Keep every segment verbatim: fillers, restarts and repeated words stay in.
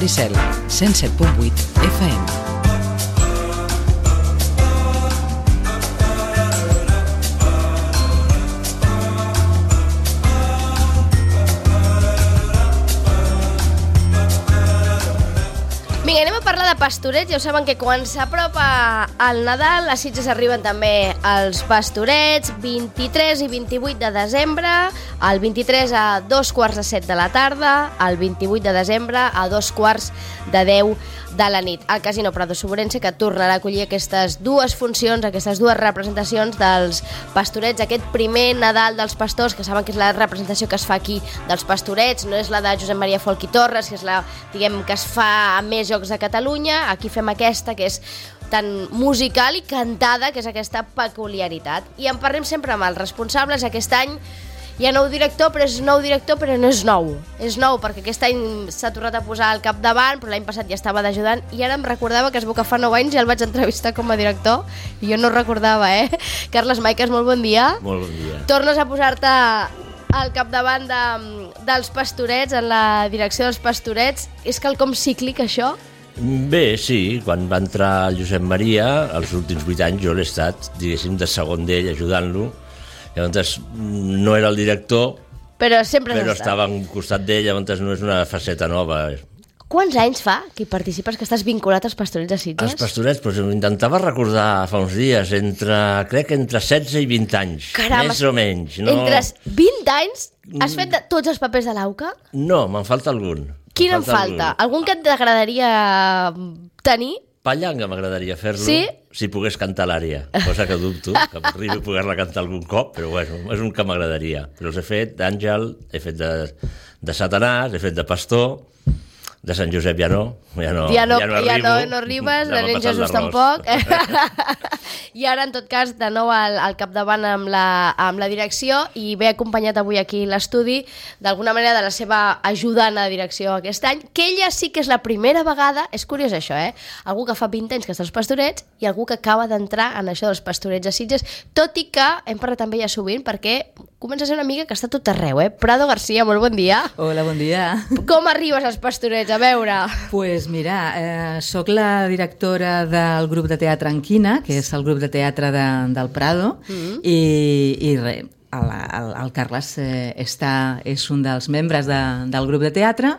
Maricel, cent set punt vuit F M. Vinga, anem a parlar de pastorets. Ja ho saben que quan s'apropa el Nadal, a Sitges arriben també els pastorets, vint-i-tres i vint-i-vuit de desembre, el vint-i-tres a dos quarts de set de la tarda, el vint-i-vuit de desembre a dos quarts de deu de la nit. El Casino Prado Soborense, que tornarà a acollir aquestes dues funcions, aquestes dues representacions dels pastorets, aquest primer Nadal dels pastors, que saben que és la representació que es fa aquí dels pastorets, no és la de Josep Maria Folch i Torres, que és la, diguem, que es fa a més jocs de Catalunya. Aquí fem aquesta, que és tan musical i cantada, que és aquesta peculiaritat. I en parlem sempre amb els responsables. Aquest any hi ha nou director, però és nou director, però no és nou. És nou perquè aquest any s'ha tornat a posar al capdavant, però l'any passat ja estava d'ajudant, i ara em recordava que es veu que fa nou anys ja el vaig entrevistar com a director, i jo no recordava, eh? Carles Maiques, molt bon dia. Molt bon dia. Tornes a posar-te al capdavant de, dels pastorets, en la direcció dels pastorets. És quelcom cíclic, això? Bé, sí, quan va entrar el Josep Maria, els últims vuit anys jo l'he estat, diguéssim, de segon d'ell, ajudant-lo. Llavors no era el director, però sempre però estava al costat d'ell, llavors no és una faceta nova. Quants anys fa que hi participes, que estàs vinculat als pastorets de Sitges? Els pastorets, doncs intentava recordar fa uns dies, entre, crec que entre setze i vint anys, Caram, més o menys. No... Entre vint anys has fet de tots els papers de l'Auca? No, me'n falta algun. Quin em falta? Algun, algun que t'agradaria tenir? Pallanga m'agradaria fer-lo, sí? Si pogués cantar l'àrea, cosa que dubto, que arribi a poder-la cantar algun cop, però bueno, és un que m'agradaria. Però els he fet d'Àngel, he fet de, de Satanàs, he fet de Pastor, de Sant Josep ja no, ja no, ja no, ja no, ja arribo, no, no arribes, de nen Jesús tampoc. I ara, en tot cas, de nou al, al capdavant amb la, amb la direcció, i ve acompanyat avui aquí l'estudi, d'alguna manera de la seva ajudant a direcció aquest any, que ella sí que és la primera vegada, és curiós això, eh? Algú que fa vint anys que està als pastorets i algú que acaba d'entrar en això dels pastorets a Sitges, tot i que hem parlat amb ella sovint perquè comença a ser una amiga que està tot arreu, eh? Prado García, molt bon dia. Hola, bon dia. Com arribes als pastorets? A veure... Pues mira, eh, soc la directora del grup de teatre Anquina, que és el grup de teatre de, del Prado, mm-hmm. i, i res, el, el, el Carles eh, està, és un dels membres de, del grup de teatre,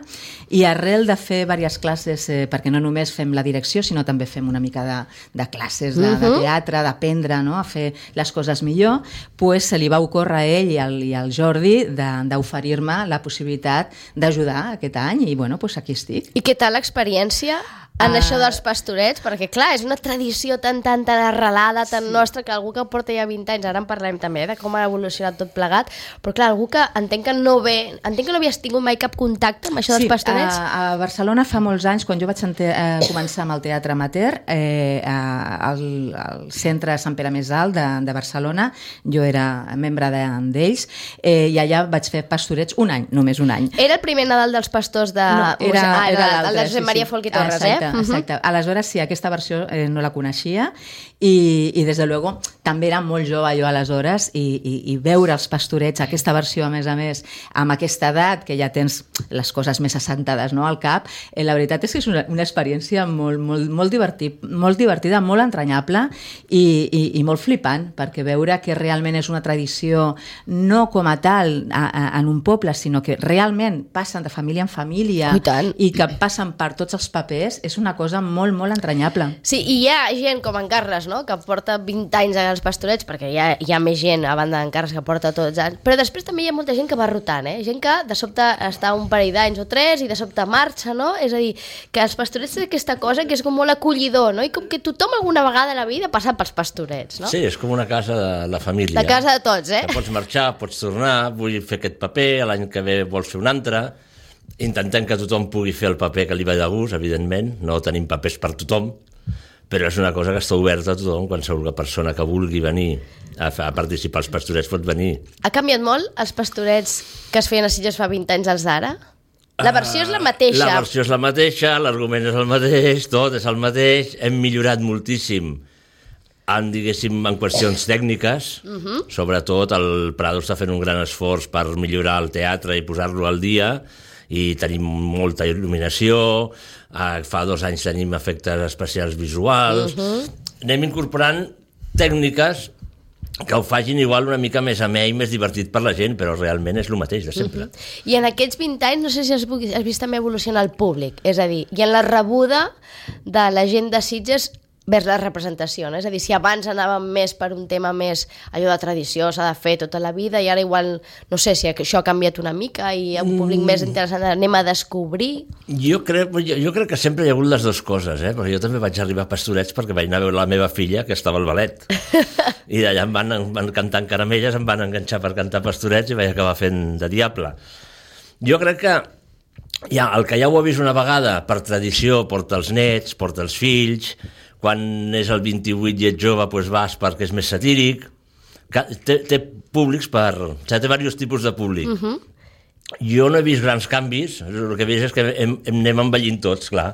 i arrel de fer diverses classes, eh, perquè no només fem la direcció, sinó també fem una mica de, de classes de, de teatre, d'aprendre, no?, a fer les coses millor, pues se li va ocórrer a ell i al, i al Jordi d'oferir-me la possibilitat d'ajudar aquest any, i bueno, pues aquí estic. I què tal l'experiència en uh... això dels pastorets? Perquè clar, és una tradició tan, tan, tan arrelada, tan sí. nostra, que algú que porta ja vint anys, ara en parlem també de com ha evolucionat tot plegat, però clar, algú que entenc que no ve, entenc que no havies tingut mai cap contacte amb això dels sí, pastorets. A, a Barcelona fa molts anys, quan jo vaig ente, eh, començar amb el teatre amateur, eh, al, al centre Sant Pere Més Alt de, de Barcelona, jo era membre d'ells, eh, i allà vaig fer pastorets un any, només un any. Era el primer Nadal dels pastors de... No, era, ah, era el, el de Josep Maria Folch i Torres, eh? Exacte, exacte. Uh-huh. Aleshores, sí, aquesta versió eh, no la coneixia, i, i des de luego també era molt jove jo aleshores, i, i, i veure els pastorets, aquesta versió a més a més, amb aquesta edat, que ja tens les coses més assentades, no?, al cap, eh, la veritat és que és una, una experiència molt, molt, molt, divertit, molt divertida, molt entranyable i, i, i molt flipant, perquè veure que realment és una tradició no com a tal a, a, en un poble, sinó que realment passen de família en família i que passen per tots els papers, és una cosa molt, molt entranyable. Sí, i hi ha gent com en Carles, no?, que porta vint anys als pastorets, perquè hi ha, hi ha més gent a banda d'en Carles que porta tots anys, però després també hi ha molta gent que va rotant, eh? Gent que de sobte està un parell d'anys o tres i de sobte marxa, no? És a dir, que els pastorets és aquesta cosa que és com molt acollidor, no? I com que tothom alguna vegada a la vida ha passat pels pastorets, no? Sí, és com una casa de la família. La casa de tots, eh? Que pots marxar, pots tornar, vull fer aquest paper, l'any que ve vols fer un altre. Intentem que tothom pugui fer el paper que li va de gust, evidentment, no tenim papers per tothom, però és una cosa que està oberta a tothom, qualsevol persona que vulgui venir a, a participar als pastorets pot venir. Ha canviat molt els pastorets que es feien a Sitges fa vint anys als d'ara? La versió és la mateixa. La versió és la mateixa, l'argument és el mateix, tot és el mateix, hem millorat moltíssim en, diguéssim, en qüestions tècniques, uh-huh. Sobretot el Prado està fent un gran esforç per millorar el teatre i posar-lo al dia, i tenim molta il·luminació, eh, fa dos anys tenim efectes especials visuals, uh-huh. anem incorporant tècniques que ho facin igual una mica més amè i més divertit per la gent, però realment és el mateix de sempre. Uh-huh. I en aquests vint anys, no sé si has, has vist també evolucionar el públic, és a dir, i en la rebuda de la gent de Sitges vers la representació, no? És a dir, si abans anàvem més per un tema més allò de tradició, s'ha de fer tota la vida, i ara igual, no sé si això ha canviat una mica i hi ha un públic mm. més interessant, anem a descobrir. Jo crec, jo, jo crec que sempre hi ha hagut les dues coses, eh? Perquè jo també vaig arribar a Pastorets perquè vaig anar a veure la meva filla, que estava al ballet, i d'allà em van, em van cantar caramelles, em van enganxar per cantar Pastorets i vaig acabar fent de diable. Jo crec que ja, el que ja ho ha vist una vegada, per tradició, porta els nets, porta els fills, quan és el vint-i-vuit i ets jove doncs vas perquè és més satíric, té, té públics per... O sigui, té diversos tipus de públic. Uh-huh. Jo no he vist grans canvis, el que he vist és que hem, hem anem envellint tots, clar,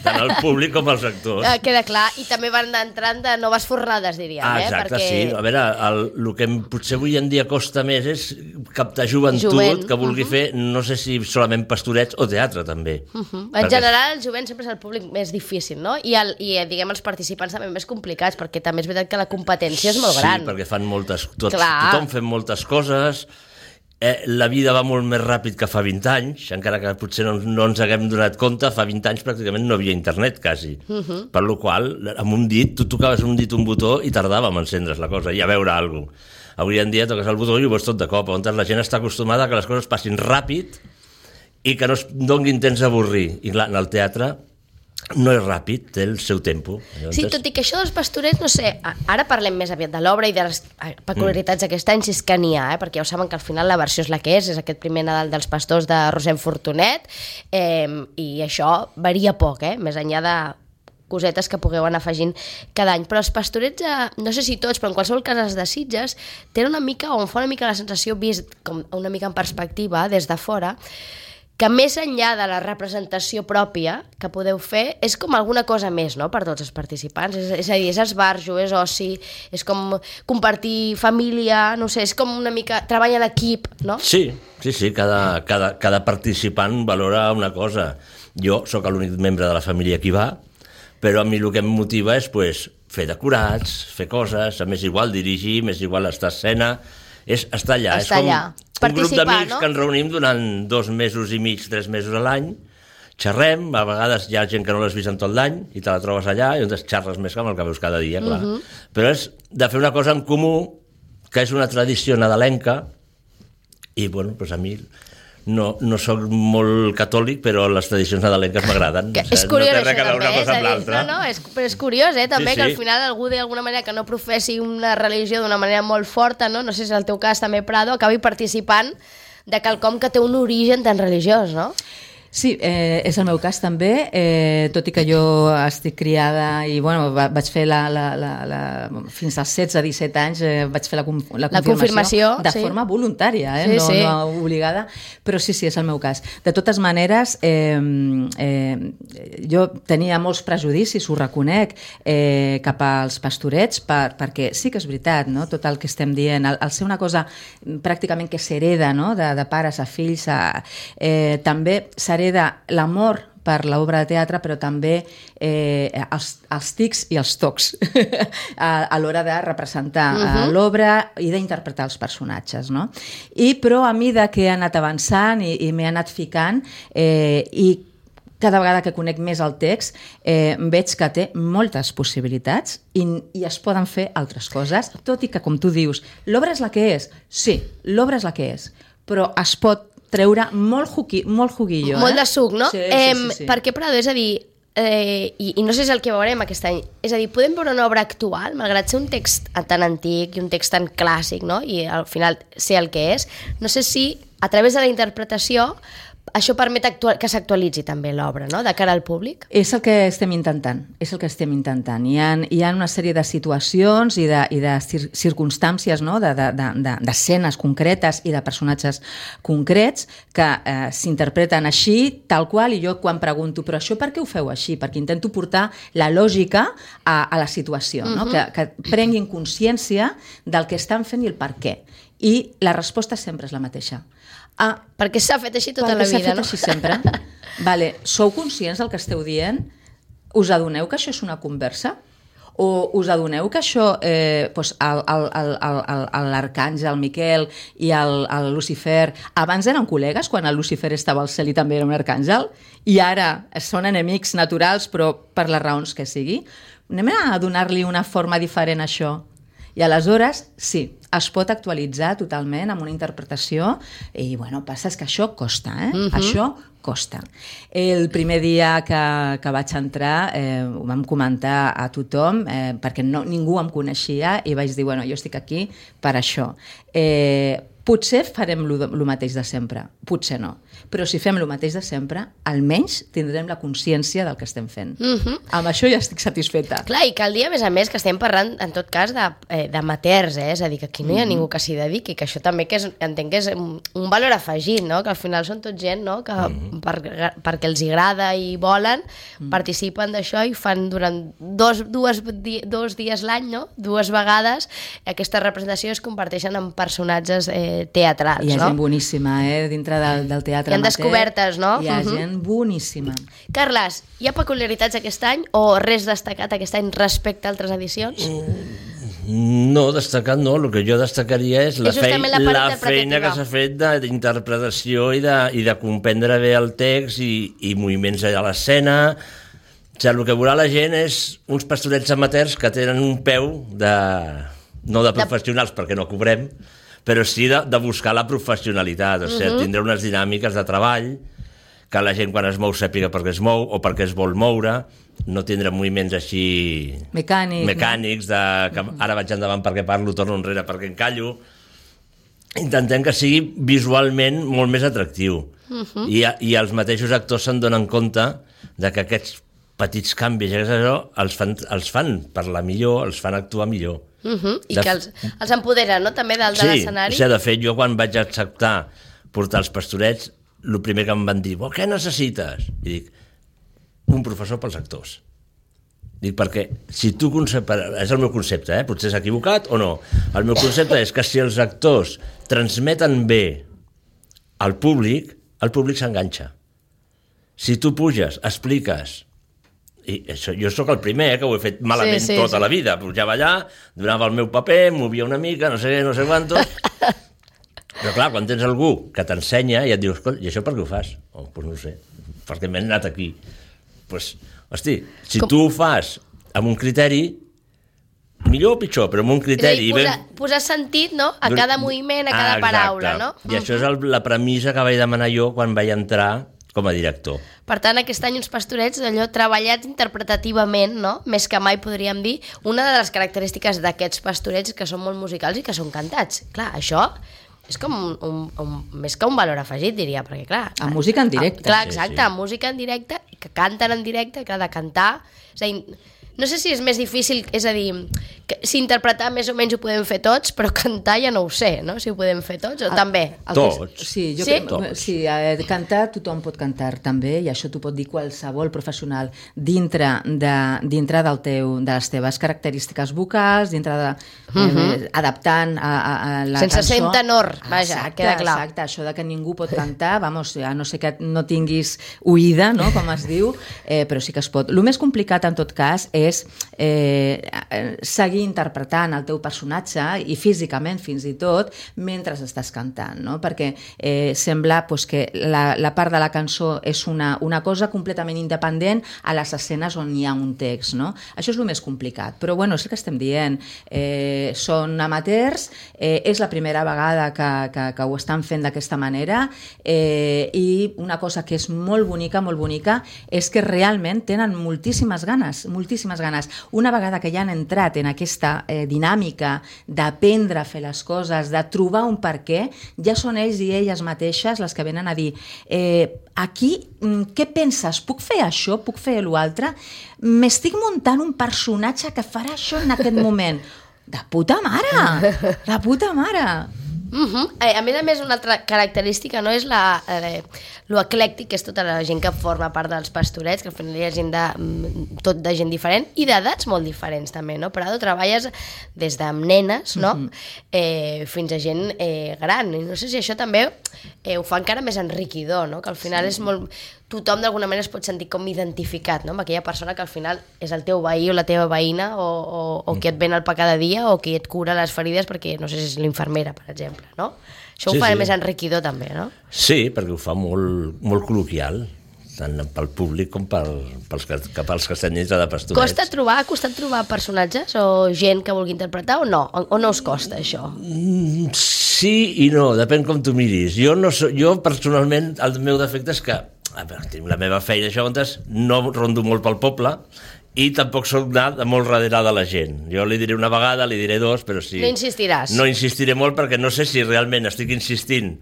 tant el públic com els actors. Eh, queda clar, i també van entrant de noves fornades, diríem. Ah, exacte, eh? Perquè... sí. A veure, el, el que potser avui en dia costa més és captar joventut jovent. que vulgui uh-huh. fer, no sé si solament Pastorets o teatre, també. Uh-huh. En perquè... general, el jovent sempre és el públic més difícil, no? I, el, i diguem, els participants també més complicats, perquè també és veritat que la competència és molt gran. Sí, perquè fan moltes... Tots, tothom fem moltes coses... Eh, la vida va molt més ràpid que fa vint anys, encara que potser no, no ens haguem donat compte, fa vint anys pràcticament no havia internet, quasi. Uh-huh. Per la qual cosa, amb un dit, tu tocaves un dit un botó i tardàvem a encendre's la cosa i a veure alguna cosa. Avui en dia toques el botó i ho veus tot de cop, on la gent està acostumada a que les coses passin ràpid i que no es donin temps d'avorrir. I clar, en el teatre no és ràpid, té el seu tempo. Llavors... Sí, tot i que això dels Pastorets, no sé, ara parlem més aviat de l'obra i de les peculiaritats mm. d'aquest any, si és que n'hi ha, eh? Perquè ja ho saben que al final la versió és la que és, és aquest primer Nadal dels Pastors de Rosem Fortunet, eh, i això varia poc, eh? Més enllà de cosetes que pugueu anar afegint cada any. Però els Pastorets, eh, no sé si tots, però en qualsevol cas els de Sitges, tenen una mica, o em fa una mica la sensació, vist com una mica en perspectiva, des de fora, que més enllà de la representació pròpia que podeu fer, és com alguna cosa més, no?, per tots els participants. És, és a dir, és esbarjo, és oci, és com compartir família, no sé, és com una mica treball en equip, no? Sí, sí, sí, cada, cada, cada participant valora una cosa. Jo sóc l'únic membre de la família que va, però a mi el que em motiva és pues, fer decorats, fer coses, a més igual dirigir, més igual estar a escena, és estar allà. Estar és com allà. Un grup d'amics, no?, que ens reunim durant dos mesos i mig, tres mesos a l'any, xerrem, a vegades hi ha gent que no l'has vist en tot l'any i te la trobes allà i llavors xerres més que amb el que veus cada dia, clar. Uh-huh. Però és de fer una cosa en comú, que és una tradició nadalenca, i bueno, doncs a mi no, no soc molt catòlic, però les tradicions nadalenques m'agraden. O sigui, és curiós, no té res a veure també, una cosa amb l'altra. No, no, és, però és curiós, eh, també, sí, que sí. al final algú d'alguna manera que no professi una religió d'una manera molt forta, no, no sé si és el teu cas també, Prado, acabi participant de quelcom que té un origen tan religiós, no? Sí, eh, és el meu cas també, eh, tot i que jo estic criada i bueno, va, vaig fer la, la, la, la, fins als setze disset anys eh, vaig fer la, la, la confirmació de sí. forma voluntària, eh, sí, no, sí. no obligada, però sí, sí, és el meu cas. De totes maneres, eh, eh, jo tenia molts prejudicis, ho reconec, eh, cap als Pastorets, per, perquè sí que és veritat, no? Tot el que estem dient, el, el ser una cosa pràcticament que s'hereda, no? de, de pares a fills, a, eh, també s'hereda l'amor per l'obra de teatre, però també eh, els, els tics i els tocs a, a l'hora de representar uh-huh. l'obra i d'interpretar els personatges, no? I però a mesura que he anat avançant i, i m'he anat ficant eh, i cada vegada que conec més el text eh, veig que té moltes possibilitats i, i es poden fer altres coses, tot i que, com tu dius, l'obra és la que és. Sí, l'obra és la que és, però es pot treure molt, juqui, molt juguillo. Molt eh? de suc, no? Sí, eh, sí, sí, sí. Perquè, Prado, és a dir, eh, i, i no sé si és el que veurem aquest any, és a dir, podem veure una obra actual, malgrat ser un text tan antic i un text tan clàssic, no?, i al final ser el que és, no sé si a través de la interpretació això permet actual, que s'actualitzi també l'obra, no?, de cara al públic? És el que estem intentant, és el que estem intentant. Hi ha, hi ha una sèrie de situacions i de, i de cir circumstàncies, no?, d'escenes de, de, de, concretes i de personatges concrets que eh, s'interpreten així, tal qual, i jo quan pregunto, però això per què ho feu així? Perquè intento portar la lògica a, a la situació, no? Uh-huh. que, que prenguin consciència del que estan fent i el per què. I la resposta sempre és la mateixa. Ah, perquè s'ha fet així tota la perquè s'ha vida, fet no? així sempre. Vale, sou conscients del que esteu dient? Us adoneu que això és una conversa? O us adoneu que això, eh, doncs l'arcàngel Miquel i el, el Lucifer abans eren col·legues quan el Lucifer estava al cel i també era un arcàngel, i ara són enemics naturals però per les raons que sigui? Anem a donar-li una forma diferent a això. I aleshores, sí, es pot actualitzar totalment amb una interpretació i, bueno, passa és que això costa, eh? Uh-huh. Això costa. El primer dia que, que vaig entrar eh, ho vam comentar a tothom eh, perquè no, ningú em coneixia i vaig dir, bueno, jo estic aquí per això. Eh, potser farem el mateix de sempre, potser no. Però si fem el mateix de sempre, almenys tindrem la consciència del que estem fent. Uh-huh. Amb això ja estic satisfeta. Clar, i cal dir, a més a més, que estem parlant, en tot cas, de, eh, d'amateurs, eh? És a dir, que aquí no hi ha ningú que s'hi dediqui, que això també que és, entenc que és un, un valor afegit, no? Que al final són tot gent, no? Que uh-huh. per, perquè els agrada i volen, uh-huh. participen d'això i fan durant dos, dues, di, dos dies l'any, no? Dues vegades, aquesta representació es converteixen en personatges eh, teatrals, no? Hi ha no? gent boníssima, eh? Dintre del, del teatre. Hi ha descobertes, no? Hi ha uh-huh. gent boníssima. Carles, hi ha peculiaritats aquest any o res destacat aquest any respecte a altres edicions? No, destacat no. El que jo destacaria és la, és fei la, la feina que s'ha fet d'interpretació i, de, i de comprendre bé el text i, i moviments a l'escena. O sigui, el que veurà la gent és uns pastorets amateurs que tenen un peu de... no de professionals, de... perquè no cobrem, però sí de, de buscar la professionalitat, o sigui, uh-huh. tindre unes dinàmiques de treball, que la gent quan es mou sàpiga per què es mou o per què es vol moure, no tindre moviments així... Mecànics. Mecànics, de que ara vaig endavant perquè parlo, torno enrere perquè encallo. Intentem que sigui visualment molt més atractiu. Uh-huh. I, I els mateixos actors se'n donen compte de que aquests petits canvis els fan, els fan parlar millor, els fan actuar millor. Uh-huh. I de... que els, els empoderen, no?, també dalt sí, de l'escenari. Sí, de fet, jo quan vaig acceptar portar els pastorets, el primer que em van dir, oh, què necessites? I dic, un professor pels actors. Dic, perquè si tu concepte, és el meu concepte, eh? Potser és equivocat o no, el meu concepte és que si els actors transmeten bé al públic, el públic s'enganxa. Si tu puges, expliques, i això, jo sóc el primer, eh, que ho he fet malament sí, sí, tota sí. la vida, pujava allà, donava el meu paper, movia una mica, no sé què, no sé quantos, però clar, quan tens algú que t'ensenya i et dius, i això per què ho fas? Oh, doncs no sé, perquè m'he anat aquí. Pues, hosti, si Com? tu ho fas amb un criteri, millor o pitjor, però amb un criteri... Posar, ben... posar sentit, no?, a cada moviment, a cada ah, paraula, no? I això és el, la premissa que vaig demanar jo quan vaig entrar com a director. Per tant, aquest any uns pastorets allò treballats interpretativament, no? Més que mai podríem dir, una de les característiques d'aquests pastorets que són molt musicals i que són cantats. Clar, això és com un, un, un, més que un valor afegit, diria, perquè clar... Amb música en directe. Clar, exacte, sí, sí. Amb música en directe, i que canten en directe, que ha de cantar... És a dir, no sé si és més difícil, és a dir, que, si interpretar més o menys ho podem fer tots, però cantar ja no ho sé, no? Si ho podem fer tots, o el, també. El tots. Sí, jo sí? Crec, sí, eh, cantar tothom pot cantar també, i això t'ho pot dir qualsevol professional dintre, de, dintre del teu, de les teves característiques vocals, dintre de... Uh-huh. eh, adaptant a, a, a la Sense cançó. ser tenor, vaja, exacte, queda clar. Exacte, això de que ningú pot cantar, vamos, a no ser que no tinguis oïda, no?, com es diu, eh, però sí que es pot. El més complicat, en tot cas, és eh, seguir interpretant el teu personatge i físicament fins i tot mentre estàs cantant, no? Perquè eh, sembla pues, que la, la part de la cançó és una, una cosa completament independent a les escenes on hi ha un text, no? Això és el més complicat, però bueno, és el que estem dient, eh, són amateurs, eh, és la primera vegada que, que, que ho estan fent d'aquesta manera, eh, i una cosa que és molt bonica, molt bonica, és que realment tenen moltíssimes ganes, moltíssimes ganes. Una vegada que ja han entrat en aquesta eh, dinàmica d'aprendre a fer les coses, de trobar un per què, ja són ells i elles mateixes les que venen a dir eh, aquí, què penses? Puc fer això? Puc fer l'altre? M'estic muntant un personatge que farà això en aquest moment. De puta mare! De puta mare! Uh -huh. eh, a més a més, una altra característica no és la, eh, lo eclèctic que és tota la gent que forma part dels pastorets, que al final hi ha gent de, tot de gent diferent i d'edats molt diferents també, no? Prado, treballes des de nenes, no? Uh -huh. eh, fins a gent eh, gran, i no sé si això també eh, ho fa encara més enriquidor, no? Que al final sí. és molt... Tothom d'alguna manera es pot sentir com identificat, no? Amb aquella persona que al final és el teu veí o la teva veïna o, o, o qui et ven el pa cada dia o qui et cura les ferides perquè, no sé si és l'infermera, per exemple, no? Això sí, ho fa sí. més enriquidor també, no? Sí, perquè ho fa molt, molt col·loquial, tant pel públic com pel, pels, que, pels que estem dintre de pastorets. Costa trobar, ha costat trobar personatges o gent que vulgui interpretar o no? O, o no us costa això? Mm, sí i no, depèn com tu miris. Jo, no so, jo personalment, el meu defecte és que a veure, tinc la meva feina, això, no rondo molt pel poble i tampoc soc anat de molt darrere de la gent. Jo li diré una vegada, li diré dos, però sí... No insistiràs? No insistiré molt perquè no sé si realment estic insistint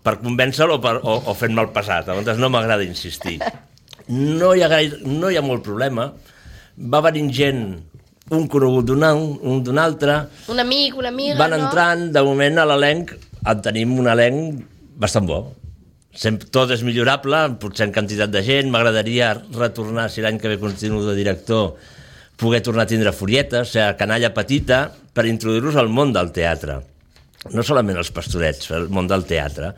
per convèncer-lo o, per, o, o fent-me el passat. Llavors no m'agrada insistir. No hi ha, gaire, no hi ha molt problema. Va venint gent, un conegut d'un un d'un altre... Un amic, una amiga, van no? Van entrant, de moment a l'elenc en tenim un elenc bastant bo. Sempre, tot és millorable, potser en quantitat de gent. M'agradaria retornar, si l'any que ve continuo de director, poder tornar a tindre furietes, o sigui, canalla petita, per introduir-los al món del teatre. No solament els pastorets, el món del teatre.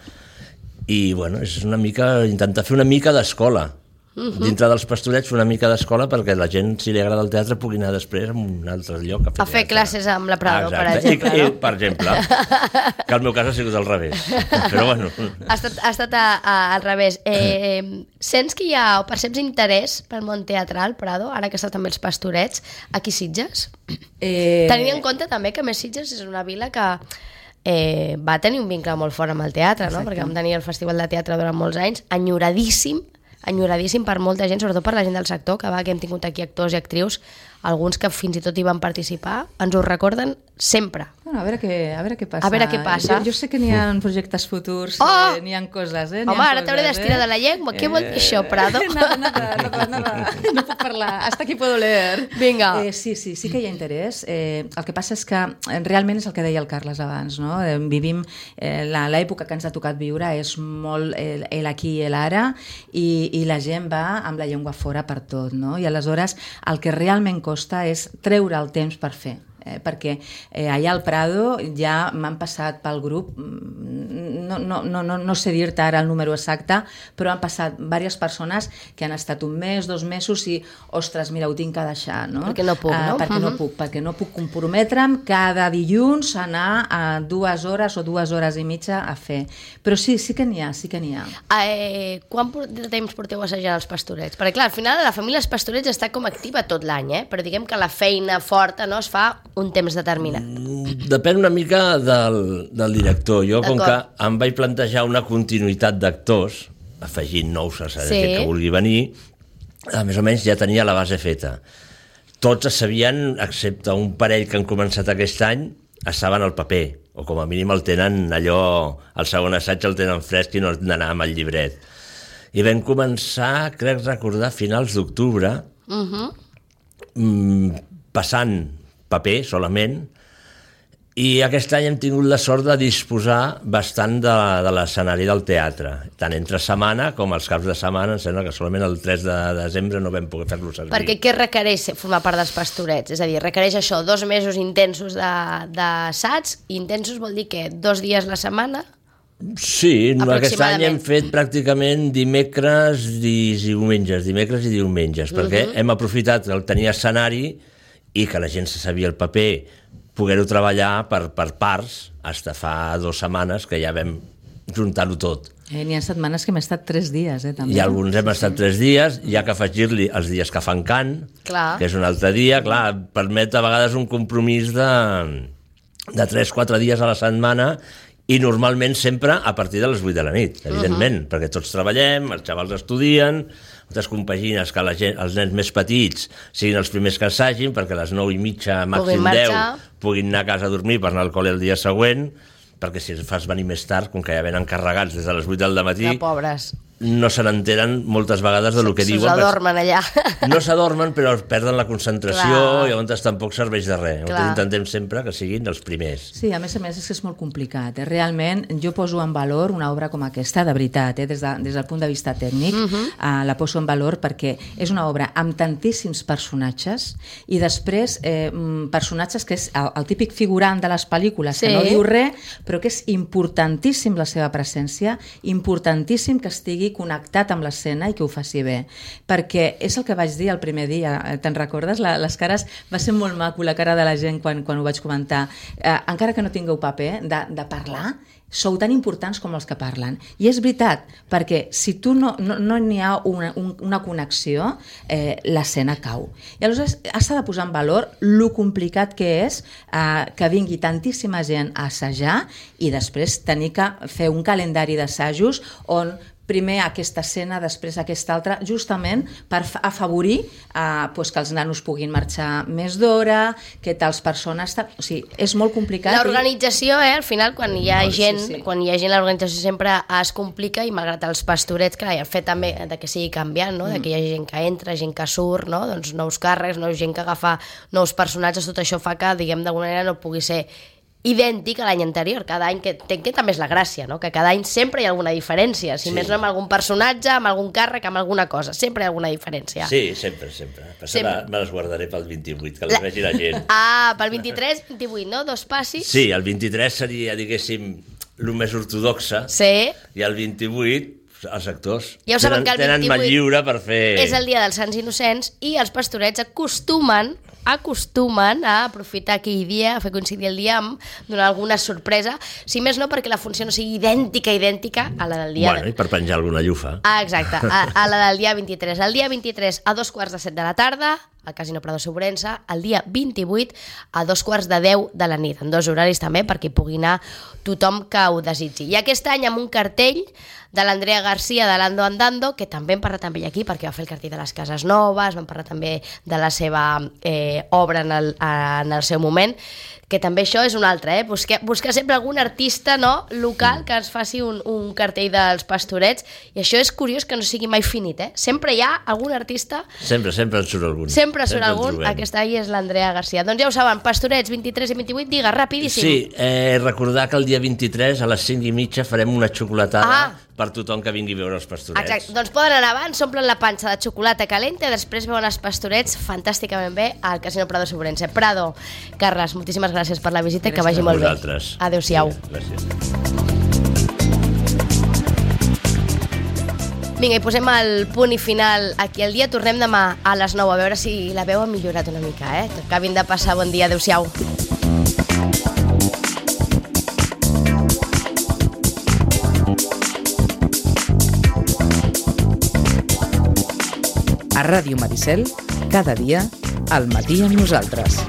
I, bueno, és una mica, intentar fer una mica d'escola. Uh-huh. Dintre dels pastorets, una mica d'escola perquè la gent, si li agrada el teatre, pugui anar després a un altre lloc a fer, a fer classes amb la Prado, ah, per exemple. I, no? i, per exemple, que el meu cas ha sigut al revés. Però bueno. Ha estat, ha estat a, a, al revés. Eh, sents que hi ha, o perceps interès pel món teatral, Prado, ara que està també els pastorets, aquí Sitges? Eh... Tenint en compte també que més Sitges és una vila que eh, va tenir un vincle molt fort amb el teatre, no? Perquè vam tenir el Festival de Teatre durant molts anys, enyoradíssim, enyoradíssim per molta gent, sobretot per la gent del sector, que va, que hem tingut aquí actors i actrius, alguns que fins i tot hi van participar, ens ho recorden sempre. Bueno, a veure què, a veure què passa. A veure què passa. Jo, jo sé que n'hi ha projectes futurs, oh! eh, n'hi ha coses, eh? Home, ara t'hauré d'estirar eh? de la llengua. Eh... Què vol dir això, Prado? Nada, nada, nada, nada. No puc parlar. Hasta aquí puedo leer. Vinga. Eh, sí, sí, sí que hi ha interès. Eh, el que passa és que realment és el que deia el Carles abans, no? Eh, vivim, eh, l'època que ens ha tocat viure és molt el, el aquí i l'ara i, i la gent va amb la llengua fora per tot, no? I aleshores el que realment costa és treure el temps per fer. Eh, perquè eh, allà al Prado ja m'han passat pel grup, no, no, no, no, no sé dir-te ara el número exacte, però han passat diverses persones que han estat un mes, dos mesos i, ostres, mira, ho tinc que deixar, no? Perquè no puc, no? Uh, perquè uh-huh. no puc, perquè no puc comprometre'm cada dilluns a anar a dues hores o dues hores i mitja a fer. Però sí, sí que n'hi ha, sí que n'hi ha. Eh, quant de temps porteu assajant els pastorets? Perquè clar, al final la família dels pastorets està com activa tot l'any, eh? Però diguem que la feina forta no es fa un temps determinat. Depèn una mica del, del director. Jo, com que em vaig plantejar una continuïtat d'actors, afegint nous a la sí. gent que vulgui venir, a més o menys ja tenia la base feta. Tots es sabien, excepte un parell que han començat aquest any, estaven al paper, o com a mínim el tenen allò, el segon assaig el tenen fresc i no han d'anar amb el llibret. I vam començar, crec recordar, a finals d'octubre, uh-huh. mm, passant paper solament, i aquest any hem tingut la sort de disposar bastant de, de l'escenari del teatre, tant entre setmana com els caps de setmana. Em sembla que solament el tres de desembre no vam poder fer-lo servir. Perquè què requereix formar part dels pastorets? És a dir, requereix això, dos mesos intensos d'assaig, intensos vol dir que dos dies la setmana? Sí, aquest any hem fet pràcticament dimecres i diumenges, dimecres i diumenges, uh-huh. perquè hem aprofitat el tenir escenari i que la gent se sabia el paper, poder-ho treballar per, per parts, fins fa dues setmanes que ja vam juntar-ho tot. Eh, N'hi ha setmanes que hem estat tres dies, eh, també. I alguns hem estat tres dies, hi ha que afegir-li els dies que fan cant, clar. Que és un altre dia, clar, permet a vegades un compromís de, de tres o quatre dies a la setmana i normalment sempre a partir de les vuit de la nit, evidentment, uh-huh. perquè tots treballem, els xavals estudien, moltes compagines que la gent, els nens més petits siguin els primers que assagin perquè a les nou i mitja, màxim deu, puguin anar a casa a dormir per anar al col·le el dia següent, perquè si els fas venir més tard, com que ja venen carregats des de les vuit del matí, ja, pobres. no se n'enteren moltes vegades del que diuen. S'adormen allà. No s'adormen, però perden la concentració. Clar. I llavors tampoc serveix de res. Llavors intentem sempre que siguin els primers. Sí, a més a més és que és molt complicat. Eh? Realment, jo poso en valor una obra com aquesta, de veritat, eh? des, de, des del punt de vista tècnic, uh-huh. eh, la poso en valor perquè és una obra amb tantíssims personatges i després eh, personatges que és el, el típic figurant de les pel·lícules, sí. que no diu res, però que és importantíssim la seva presència, importantíssim que estigui connectat amb l'escena i que ho faci bé, perquè és el que vaig dir el primer dia, te'n recordes? La, les cares, va ser molt maco la cara de la gent quan, quan ho vaig comentar, eh, encara que no tingueu paper de, de parlar, sou tan importants com els que parlen, i és veritat, perquè si tu no no, no n'hi ha una, un, una connexió, eh, l'escena cau, i aleshores has de posar en valor lo complicat que és eh, que vingui tantíssima gent a assajar i després tenir que fer un calendari d'assajos on primer aquesta escena, després aquesta altra, justament per afavorir eh, pues que els nanos puguin marxar més d'hora, que tals persones... O sigui, és molt complicat. L'organització, eh, al final, quan hi ha no, gent, sí, sí. quan hi ha gent, l'organització sempre es complica i malgrat els pastorets, clar, i el fet també de que sigui canviant, no? De que hi ha gent que entra, gent que surt, no? Doncs nous càrrecs, nous gent que agafa nous personatges, tot això fa que, diguem, d'alguna manera no pugui ser idèntic a l'any anterior, cada any, que, que també és la gràcia, no? Que cada any sempre hi ha alguna diferència, si sí. més no amb algun personatge, amb algun càrrec, amb alguna cosa, sempre hi ha alguna diferència. Sí, sempre, sempre. Passa, sempre. Me les guardaré pel vint-i-vuit, que les la... vegi la gent. Ah, pel vint-i-tres, vint-i-vuit, no? Dos passis. Sí, el vint-i-tres seria, diguéssim, el més ortodoxa, sí. I el vint-i-vuit els actors ja ho saben tenen, que el vint-i-vuit tenen mà lliure per fer... és el dia dels Sants Innocents i els pastorets acostumen acostumen a aprofitar aquell dia, a fer coincidir el dia amb donar alguna sorpresa, si més no perquè la funció no sigui idèntica, idèntica a la del dia... Bueno, i per penjar alguna llufa. Ah, exacte, a, a la del dia vint-i-tres. El dia vint-i-tres a dos quarts de set de la tarda, al Casino Prado Sobrense, el dia vint-i-vuit a dos quarts de deu de la nit, en dos horaris també, perquè hi pugui anar tothom que ho desitgi. I aquest any amb un cartell de l'Andrea Garcia de l'Ando Andando, que també hem parlat amb ell aquí perquè va fer el cartell de les Cases Noves, vam parlar també de la seva eh, obra en el, en el seu moment, que també això és un altre, eh? buscar, buscar sempre algun artista, no, local que ens faci un, un cartell dels pastorets, i això és curiós que no sigui mai finit, eh? Sempre hi ha algun artista... Sempre, sempre en surt algun. Sempre surt sempre algun, aquesta ahí és l'Andrea Garcia. Doncs ja ho saben, pastorets vint-i-tres i vint-i-vuit, digue, rapidíssim. Sí, eh, recordar que el dia vint-i-tres a les cinc i mitja farem una xocolatada ah. per tothom que vingui a veure els pastorets. Exacte, doncs poden anar abans, s'omplen la panxa de xocolata calenta, després veuen els pastorets fantàsticament bé al Casino Prado Sobrense. Prado, Carles, moltíssimes gràcies per la visita, gràcies que vagi molt vosaltres. Bé. Adéu-siau. Sí, gràcies. Vinga, i posem el punt i final aquí al dia. Tornem demà a les nou, a veure si la veu ha millorat una mica, eh? Que acabin de passar bon dia. Adéu-siau. A Ràdio Maricel, cada dia, al matí amb nosaltres.